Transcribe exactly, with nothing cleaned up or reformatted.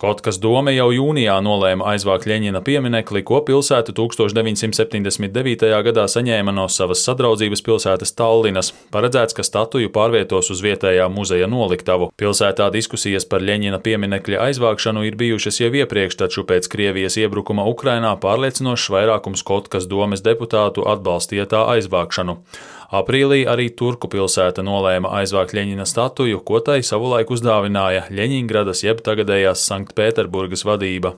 Kotkas dome jau jūnijā nolēma aizvākt Ļeņina pieminekli, ko pilsēta tūkstoš deviņsimt septiņdesmit devītajā gadā saņēma no savas sadraudzības pilsētas Tallinas. Paredzēts, ka statuju pārvietos uz vietējā muzeja noliktavu. Pilsētā diskusijas par Ļeņina pieminekļa aizvākšanu ir bijušas jau iepriekš, taču pēc Krievijas iebrukuma Ukrainā pārliecinošs vairākums Kotkas domes deputātu atbalstīja tā aizvākšanu. Aprīlī arī Turku pilsēta nolēma aizvākt Ļeņina statuju, ko tai savulaik uzdāvināja Ļeņingradas jeb tagadējās Sanktpēterburgas vadība.